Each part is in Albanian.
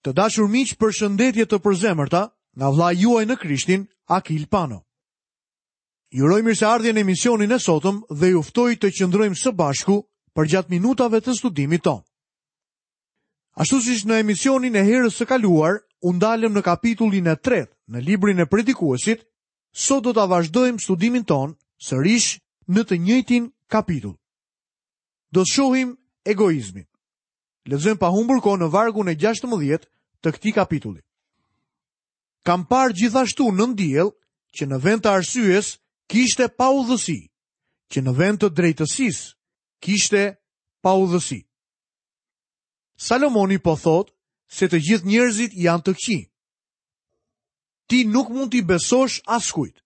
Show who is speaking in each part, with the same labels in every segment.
Speaker 1: Të dashur miq, përshëndetje të përzemërta nga vëllai juaj në Krishtin, Akil Pano. Ju uroj mirëseardhje në emisionin e sotëm dhe ju ftoj të qëndrojmë së bashku përgjatë minutave të studimit tonë. Ashtu siç në emisionin e herës së kaluar u ndalëm në kapitullin e tretë në librin e Predikuesit, sot do ta vazhdojmë studimin tonë sërish në të njëjtin kapitull. Do të shohim egoizmin. Lexojmë pa humbur kohë në vargun e 16 të këtij kapitulli. Kam parë gjithashtu nën diell që në vend të arsyes kishte paudhësi, që në vend të drejtësisë kishte paudhësi. Salomoni po thotë se të gjithë njerëzit janë të këqij. Ti nuk mund t'i besosh askujt.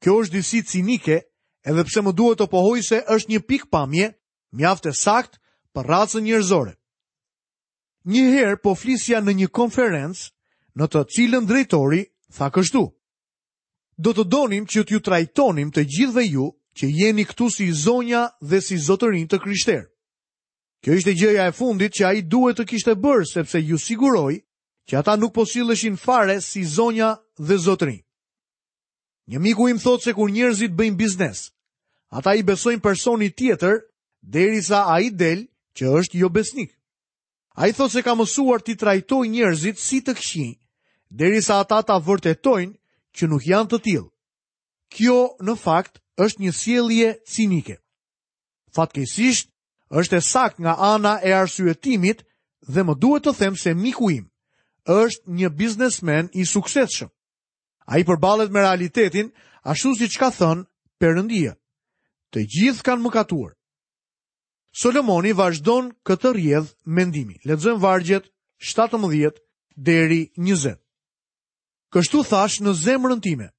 Speaker 1: Kjo është disi cinike, edhe pse më duhet të pohoj se është një pikëpamje mjaft e saktë për racën njerëzore. Një herë po flisja në një konferencë në të cilën drejtori tha kështu: Do të donim që t'ju trajtonim të gjithëve ju që jeni këtu si zonja dhe si zotërinj të krishterë. Kjo ishte gjëja e fundit që ai duhet të kishte bërë sepse ju siguroj që ata nuk po silleshin fare si zonja dhe zotërinj. Një miku im thotë se kur njerëzit bëjnë biznes, ata i besojnë personit tjetër derisa ai del që është jobesnik. Ai thotë se ka mësuar t'i trajtojë njerëzit si të këqij, derisa ata ta vërtetojnë që nuk janë të tillë. Kjo në fakt është një sjellje cinike. Fatkeqësisht, është e saktë nga ana e arsyetimit dhe më duhet të them se miku im është një biznesmen i suksesshëm. Ai përballet me realitetin ashtu siç ka thënë Perëndia. Të gjithë kanë mëkatuar. Solomoni vazhdon këtë rrjedhë mendimi. Lexojmë vargjet 17 deri 20. Kështu thashë në zemrën time,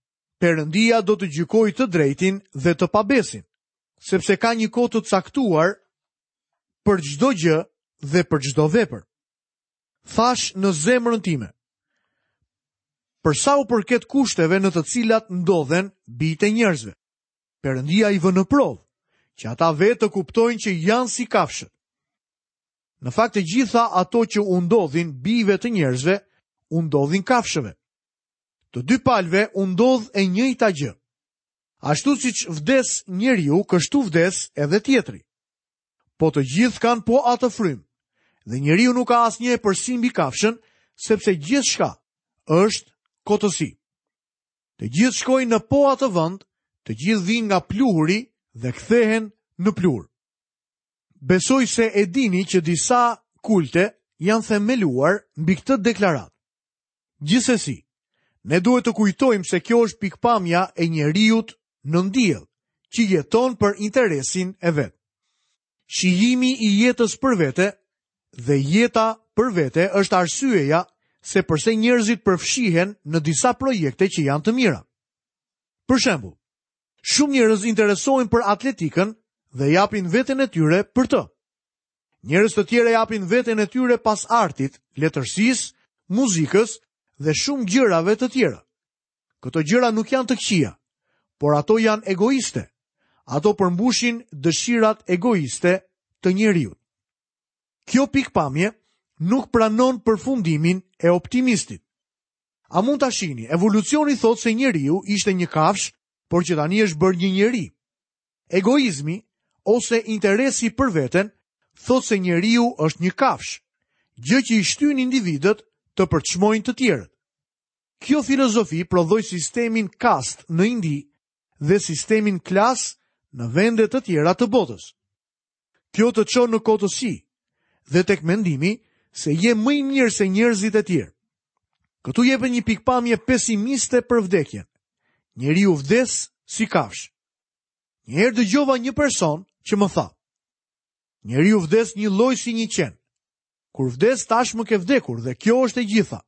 Speaker 1: Perëndia do të gjykojë të drejtin dhe të pabesin, sepse ka një kohë të caktuar për çdo gjë dhe për çdo vepër. Thashë në zemrën time, për sa u përket kushteve në të cilat ndodhen bijtë e njerëzve, Perëndia i vë në provë, që ata vetë të kuptojnë që janë si kafshët. Në fakt të gjitha ato që u ndodhin bijve të njerëzve, u ndodhin kafshëve. Të dy palëve u ndodh e njëjta gjë. Ashtu siç vdes njeriu, kështu vdes edhe tjetri. Po të gjithë kanë po atë frymë. Dhe njeriu nuk ka asnjë epërsi mbi kafshën, sepse gjithçka është kotësi. Të gjithë shkojnë në po atë vend, të gjithë vijnë nga pluhuri dhe kthehen në pluhur. Besoj se e dini që disa kulte janë themeluar mbi këtë deklaratë. Gjithsesi, ne duhet të kujtojmë se kjo është pikëpamja e njeriut nën diell, që jeton për interesin e vet. Shijimi i jetës për vete dhe jeta për vete është arsyeja se përse njerëzit përfshihen në disa projekte që janë të mira. Për shembull, shumë njerëz interesohen për atletikën dhe japin veten e tyre për të. Njerëz të tjerë japin veten e tyre pas artit, letërsisë, muzikës dhe shumë gjërave të tjera. Këto gjëra nuk janë të këqija, por ato janë egoiste. Ato përmbushin dëshirat egoiste të njeriut. Kjo pikëpamje nuk pranon përfundimin e optimistit. A mund ta shihni? Evolucioni thotë se njeriu ishte një kafshë, por që tani është bërë një njeri. Egoizmi ose interesi për veten thotë se njeriu është një kafshë, gjë që i shtyn individët të përçmojnë të tjerët. Kjo filozofi prodhoi sistemin kast në Indi dhe sistemin klas në vende të tjera të botës. Kjo të çon në kotësi dhe tek mendimi se je më i mirë se njerëzit e tjerë. Këtu jepet një pikëpamje pesimiste për vdekjen. Njeriu vdes si kafshë. Një herë dëgjova një person që më tha: Njeriu vdes njëlloj si një qen. Kur vdes tashmë ke vdekur dhe kjo është e gjitha.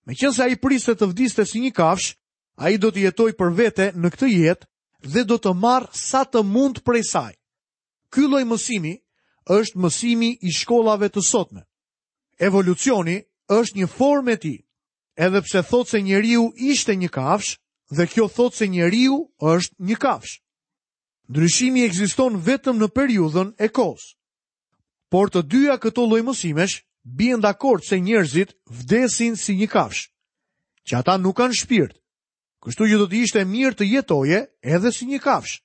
Speaker 1: Meqenëse ai priste të vdiste si një kafshë, ai do të jetojë për vete në këtë jetë dhe do të marrë sa të mund prej saj. Ky lloj mësimi është mësimi i shkollave të sotme. Evolucioni është një formë e tij. Edhe pse thotë se njeriu ishte një kafshë dhe kjo thotë se njeriu është një kafshë. Ndryshimi ekziston vetëm në periudhën e kohës. Por të dyja këto lloj mësimesh bien dakord se njerëzit vdesin si një kafshë, që ata nuk kanë shpirt. Kështu që do të ishte mirë të jetoje edhe si një kafshë.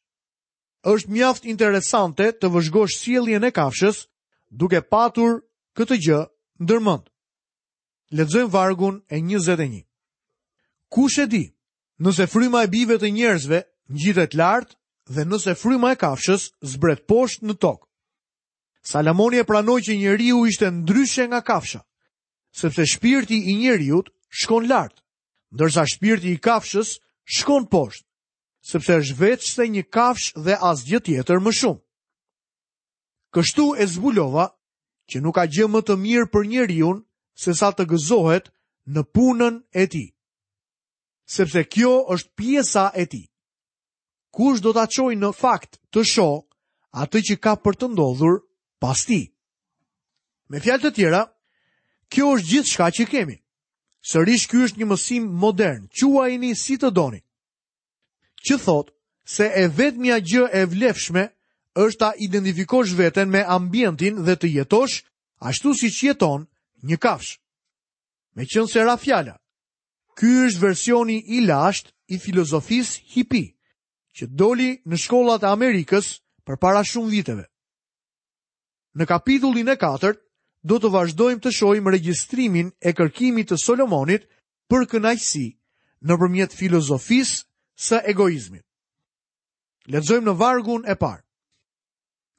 Speaker 1: Është mjaft interesante të vëzhgosh sjelljen e kafshës duke patur këtë gjë ndërmend. Lexojmë vargun e 21. Kush e di, nëse fryma e bijve të njerëzve ngjitet lart dhe nëse fryma e kafshës zbret poshtë në tokë. Salomoni e pranoi që njeriu ishte ndryshe nga kafsha, sepse shpirti i njeriut shkon lart, ndërsa shpirti i kafshës shkon poshtë, sepse është veçse një kafshë dhe asgjë tjetër më shumë. Kështu e zbulova që nuk ka gjë më të mirë për njeriun sesa të gëzohet në punën e tij. Sepse kjo është pjesa e tij. Kush do ta çojë në fakt të shohë atë që ka për të ndodhur pas tij? Me fjalë të tjera, kjo është gjithçka që kemi. Sërish ky është një mësim modern, quajeni si të doni. Që thotë se e vetmja gjë e vlefshme është ta identifikosh veten me ambientin dhe të jetosh ashtu siç jeton një kafshë. Meqenëse ra fjala, ky është versioni i lashtë i filozofisë hipi, që doli në shkollat e Amerikës përpara shumë viteve. Në kapitullin e katërt do të vazhdojmë të shohim regjistrimin e kërkimit të Solomonit për kënaqësi nëpërmjet filozofisë së egoizmit. Lexojmë në vargun e parë.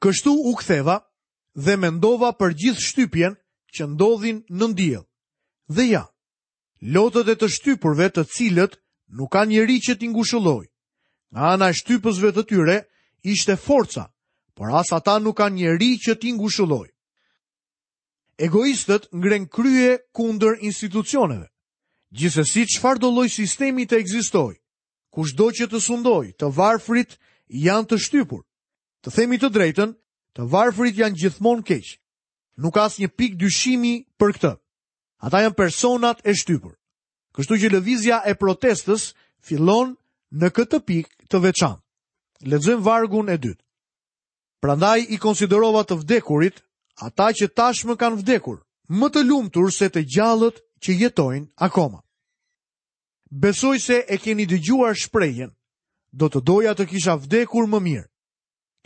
Speaker 1: Kështu u ktheva dhe mendova për gjithë shtypjen që ndodhin nën diell. Dhe ja, Lotët e të shtypurve të cilët nuk kanë njeri që t'i ngushëllojë. Nga ana e shtypësve të tyre ishte forca, por as ata nuk kanë njeri që t'i ngushëllojë. Egoistët ngrenë krye kundër institucioneve. Gjithsesi çfarëdo lloj sistemi të ekzistojë, kushdo që të sundojë, të varfrit janë të shtypur. Të themi të drejtën, të varfrit janë gjithmonë keq. Nuk ka asnjë pikë dyshimi për këtë. Ata janë personat e shtypur. Kështu që lëvizja e protestës fillon në këtë pikë të veçantë. Lexojmë vargun e dytë. Prandaj i konsiderova të vdekurit, ata që tashmë kanë vdekur, më të lumtur se të gjallët që jetojnë akoma. Besoj se e keni dëgjuar shprehjen, do të doja të kisha vdekur më mirë.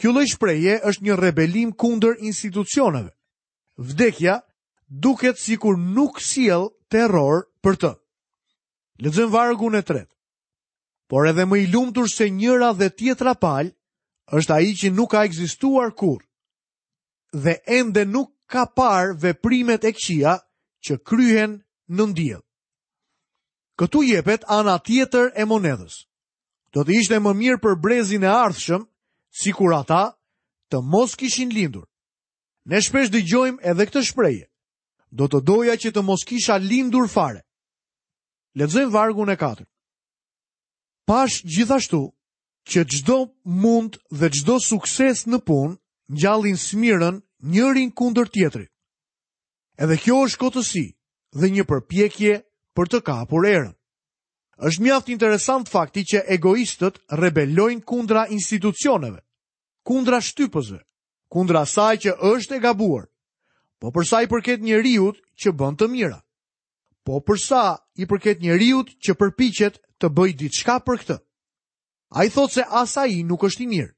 Speaker 1: Kjo lloj shprehje është një rebelim kundër institucioneve. Vdekja duket sikur nuk sjell terror për të. Lexojmë vargun e tretë. Por edhe më i lumtur se njëra dhe tjetra palë është ai që nuk ka ekzistuar kurrë dhe ende nuk ka parë veprimet e këqija që kryhen nën diell. Këtu jepet ana tjetër e monedhës. Do të ishte më mirë për brezin e ardhshëm, sikur ata të mos kishin lindur. Ne shpesh dëgjojmë edhe këtë shprehje. Do të doja që të mos kisha lindur fare. Lexojmë vargun e katërt. Pashë gjithashtu që çdo mund dhe çdo sukses në punë ngjallin smirën njërin kundër tjetrit. Edhe kjo është kotësi dhe një përpjekje për të kapur erën. Është mjaft interesant fakti që egoistët rebelojnë kundra institucioneve, kundra shtypësve, kundra asaj që është e gabuar. Po për sa i përket njeriut që bën të mira. Po për sa i përket njeriut që përpiqet të bëjë diçka për këtë. Ai thotë se as ai nuk është i mirë.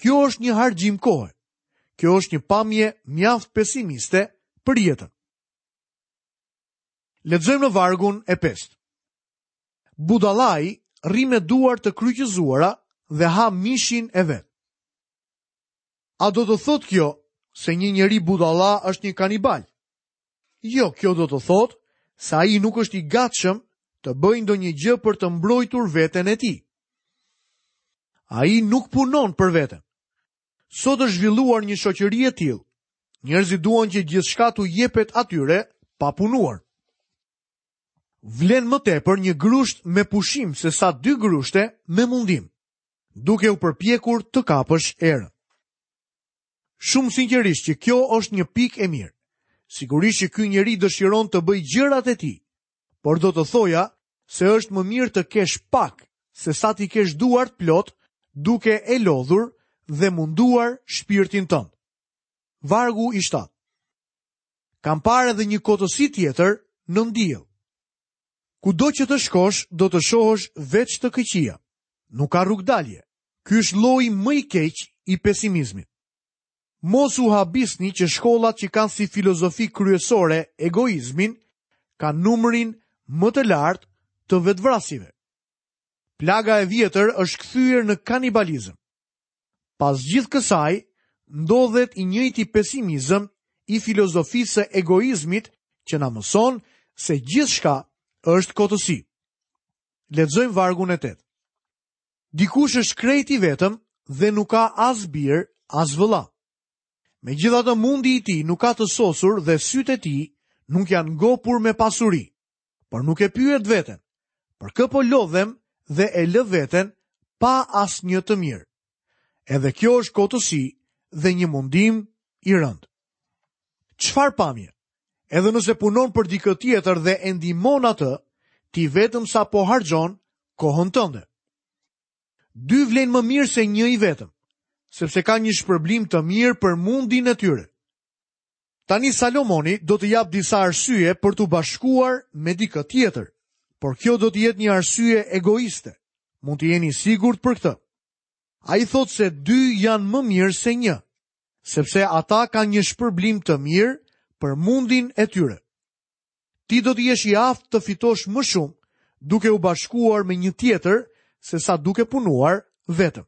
Speaker 1: Kjo është një harxhim kohe. Kjo është një pamje mjaft pesimiste për jetën. Lexojmë në vargun e pestë. Budallai rri me duar të kryqëzuara dhe ha mishin e vet. A do të thotë kjo se një njeri budalla është një kanibal? Jo, kjo do të thotë se ai nuk është i gatshëm të bëjë ndonjë gjë për të mbrojtur veten e tij. Ai nuk punon për veten. Sot është zhvilluar një shoqëri e tillë. Njerëzit duan që gjithçka t'u jepet atyre pa punuar. Vlen më tepër një grusht me pushim sesa dy grushte me mundim. duke u përpjekur të kapësh erën. Shumë sinqerisht që kjo është një pikë e mirë. Sigurisht që ky njeri dëshiron të bëjë gjërat e tij, por do të thoja se është më mirë të kesh pak sesa t'i kesh duart plot duke e lodhur dhe munduar shpirtin tënd. Vargu i 7. Kam parë edhe një kotësi tjetër nën diell. Kudo që të shkosh, do të shohësh veç të këqija. Nuk ka rrugëdalje. Ky është lloji më i keq i pesimizmit. Mos u habisni që shkollat që kanë si filozofi kryesore egoizmin, kanë numrin më të lartë të vetëvrasjeve. Plaga e vjetër është kthyer në kanibalizëm. Pas gjithë kësaj, ndodhet i njëjti pesimizëm i filozofisë së egoizmit që na mëson se gjithçka është kotësi. Lexojmë vargun e 8. Dikush është krejt i vetëm dhe nuk ka as bir, as vëlla. Megjithatë mundi i tij nuk ka të sosur dhe sytë e tij nuk janë ngopur me pasuri, por nuk e pyet veten, për kë po lodhem dhe e lë veten pa asnjë të mirë. Edhe kjo është kotësi dhe një mundim i rëndë. Çfarë pamje? Edhe nëse punon për dikë tjetër dhe e ndihmon atë, ti vetëm sa po harxhon kohën tënde. Dy vlejnë më mirë se një i vetëm, sepse ka një shpërblim të mirë për mundin e tyre. Tani Salomoni do të japë disa arsye për t'u bashkuar me dikë tjetër, por kjo do të jetë një arsye egoiste. Mund të jeni i sigurt për këtë. Ai thotë se dy janë më mirë se një, sepse ata kanë një shpërblim të mirë për mundin e tyre. Ti do të jesh i aftë të fitosh më shumë duke u bashkuar me një tjetër sesa duke punuar vetëm.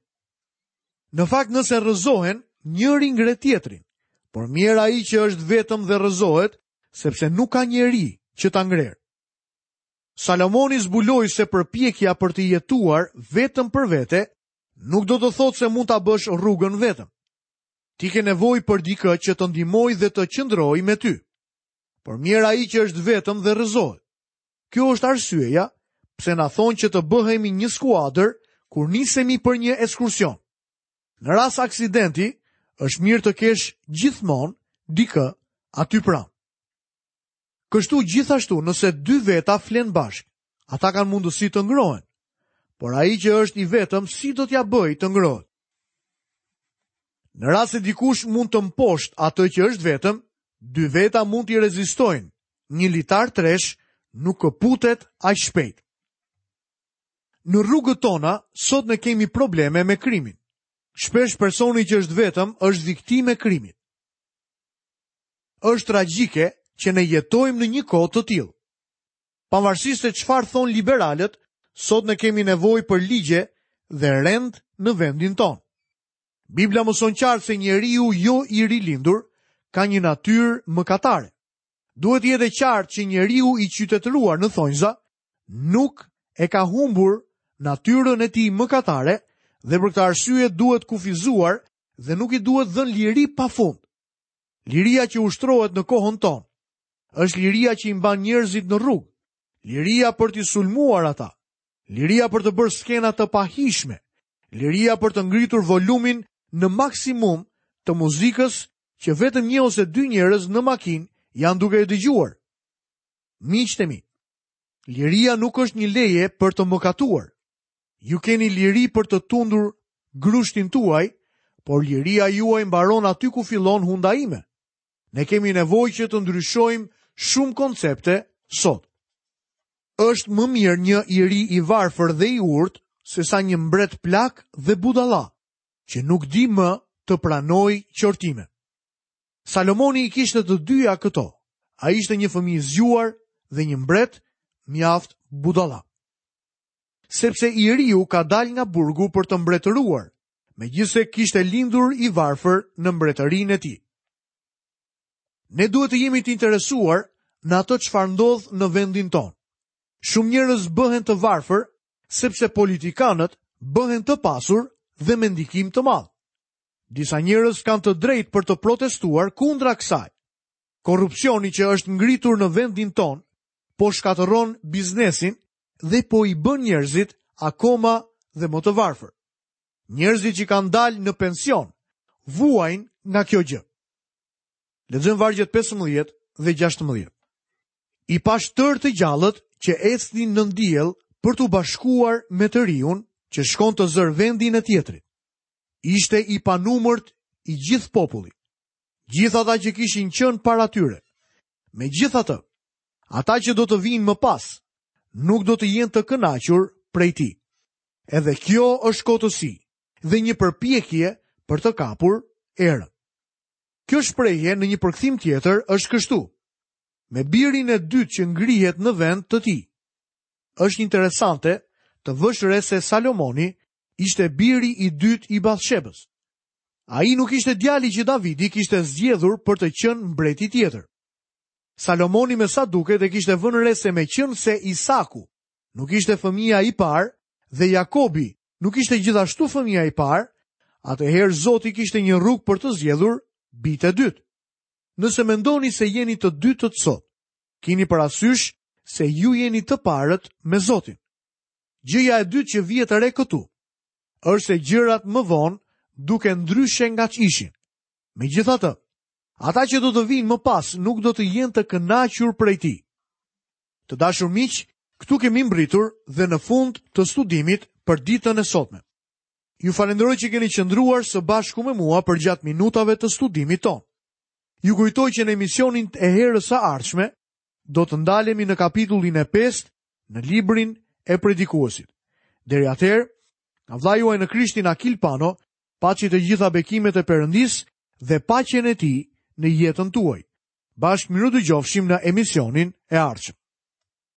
Speaker 1: Në fakt nëse rrëzohen, njëri ngre tjetrin, por mjerë ai që është vetëm dhe rrëzohet, sepse nuk ka njeri që ta ngrerë. Salomoni zbuloi se përpjekja për të jetuar vetëm për vete nuk do të thotë se mund ta bësh rrugën vetëm. Ti ke nevojë për dikë që të ndihmojë dhe të qëndrojë me ty. Por mjerë ai që është vetëm dhe rrëzohet. Kjo është arsyeja pse na thonë që të bëhemi një skuadër kur nisemi për një ekskursion. Në rast aksidenti, është mirë të kesh gjithmonë dikë aty pranë. Kështu gjithashtu nëse dy veta flenë bashkë, ata kanë mundësi të ngrohen. Por ai që është i vetëm si do t'ia bëjë të ngrohet? Në rast se dikush mund të mposhtë atë që është vetëm, dy veta mund t'i rezistojnë. Një litar tresh nuk këputet aq shpejt. Në rrugët tona, sot ne kemi probleme me krimin. Shpesh personi që është vetëm është viktimë e krimit. Është tragjike që ne jetojmë në një kohë të tillë. Pavarësisht se çfarë thonë liberalët, sot ne kemi nevojë për ligje dhe rend në vendin tonë. Bibla mëson qartë se njeriu jo i rilindur ka një natyrë mëkatare. Duhet të jetë e qartë që njeriu i qytetëruar në thonjza nuk e ka humbur natyrën e tij mëkatare dhe për këtë arsye duhet kufizuar dhe nuk i duhet dhënë liri pa fund. Liria që ushtrohet në kohën tonë është liria që i mban njerëzit në rrugë, liria për t'i sulmuar ata, liria për të bërë skena të pahijshme, liria për të ngritur volumin në maksimum të muzikës që vetëm një ose dy njerëz në makinë janë duke e dëgjuar. Miqtë e mi, liria nuk është një leje për të mëkatuar. Ju keni liri për të tundur grushtin tuaj, por liria juaj mbaron aty ku fillon hunda ime. Ne kemi nevojë që të ndryshojmë shumë koncepte sot. Është më mirë një i ri i varfër dhe i urtë sesa një mbret plak dhe budalla, që nuk di më të pranojë qortime. Salomoni i kishte të dyja këto. Ai ishte një fëmijë i zgjuar dhe një mbret mjaft budalla. Sepse i riu ka dalë nga burgu për të mbretëruar, megjithëse kishte lindur i varfër në mbretërinë e tij. Ne duhet të jemi të interesuar në atë çfarë ndodh në vendin tonë. Shumë njerëz bëhen të varfër sepse politikanët bëhen të pasur dhe me ndikim të madh. Disa njerëz kanë të drejtë për të protestuar kundra kësaj. Korrupsioni që është ngritur në vendin tonë po shkatërron biznesin dhe po i bën njerëzit akoma dhe më të varfër. Njerëzit që kanë dalë në pension vuajnë nga kjo gjë. Lexojmë vargjet 15 dhe 16. I pashë tërë të gjallët që ecnin nën diell për t'u bashkuar me të riun që shkon të zërë vendin e tjetrit. Ishte i panumërt i gjithë populli. Gjithë ata që kishin qenë para tyre. Megjithatë, ata që do të vijnë më pas, nuk do të jenë të kënaqur prej tij. Edhe kjo është kotësi dhe një përpjekje për të kapur erën. Kjo shprehje në një përkthim tjetër është kështu: Me birin e dytë që ngrihet në vend të tij. Është interesante të vësh re se Salomoni ishte biri i dytë i Bathshebës. Ai nuk ishte djali që Davidi kishte zgjedhur për të qenë mbreti tjetër. Salomoni me sa duket e kishte vënë re se meqenëse Isaku nuk ishte fëmija i parë dhe Jakobi nuk ishte gjithashtu fëmija i parë, atëherë Zoti kishte një rrugë për të zgjedhur bijtë e dytë. Nëse mendoni se jeni të dytët sot, kini parasysh se ju jeni të parët me Zotin. Gjëja e dytë që vihet re këtu, është se gjërat më vonë duken ndryshe nga ç'ishin. Megjithatë, ata që do të vijnë më pas nuk do të jenë të kënaqur prej tij. Të dashur miq, këtu kemi mbërritur dhe në fund të studimit për ditën e sotme. Ju falënderoj që keni qëndruar së bashku me mua përgjatë minutave të studimit tonë. Ju kujtoj që në emisionin e herës së ardhshme do të ndalemi në kapitullin e 5 në librin e predikuesit. Deri atëherë, nga vëllai juaj në Krishtin Akil Pano, paçi të gjitha bekimet e Perëndisë dhe paqen e tij në jetën tuaj. Bashkë mirudëgjofshim në emisionin e ardhshëm.